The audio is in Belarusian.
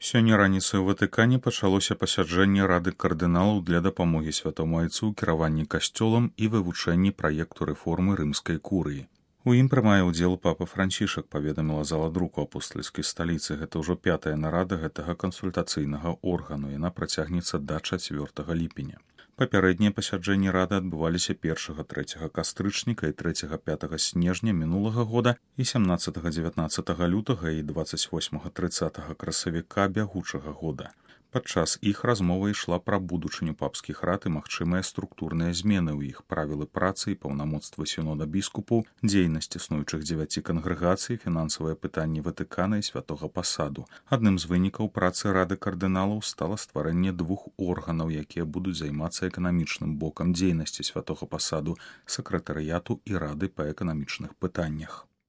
Сёння раніцай у Ватыкане пачалося пасяджэнне Рады кардыналаў для дапамогі святому айцу ў кіраванні касцёлам і вывучэнні праекту рэформы рымскай курыі. У ім прымае ўдзел папа Францішак, паведаміла зала друку апостальскай сталіцы. Гэта ўжо 5-я нарада гэтага кансультацыйнага органу. Яна працягнецца да 4 ліпеня. Папярэднія пасяджэнні рады адбываліся 1-3 кастрычніка і 3-5 снежня мінулага года і 17-19 лютага і 28-30 красавіка бягучага года. Падчас іх размова ішла пра будучыню папскіх рад і магчымыя структурныя змены ў іх, правілы працы і паўнамоцтва сінода біскупаў, дзейнасць існуючых 9 кангрэгацый, фінансавыя пытанні Ватыкана і святога пасаду. Адным з вынікаў працы Рады кардыналаў стала стварэнне 2 органаў, якія будуць займацца эканамічным бокам дзейнасці святога пасаду, сакратарыяту і рады па эканамічных пытаннях.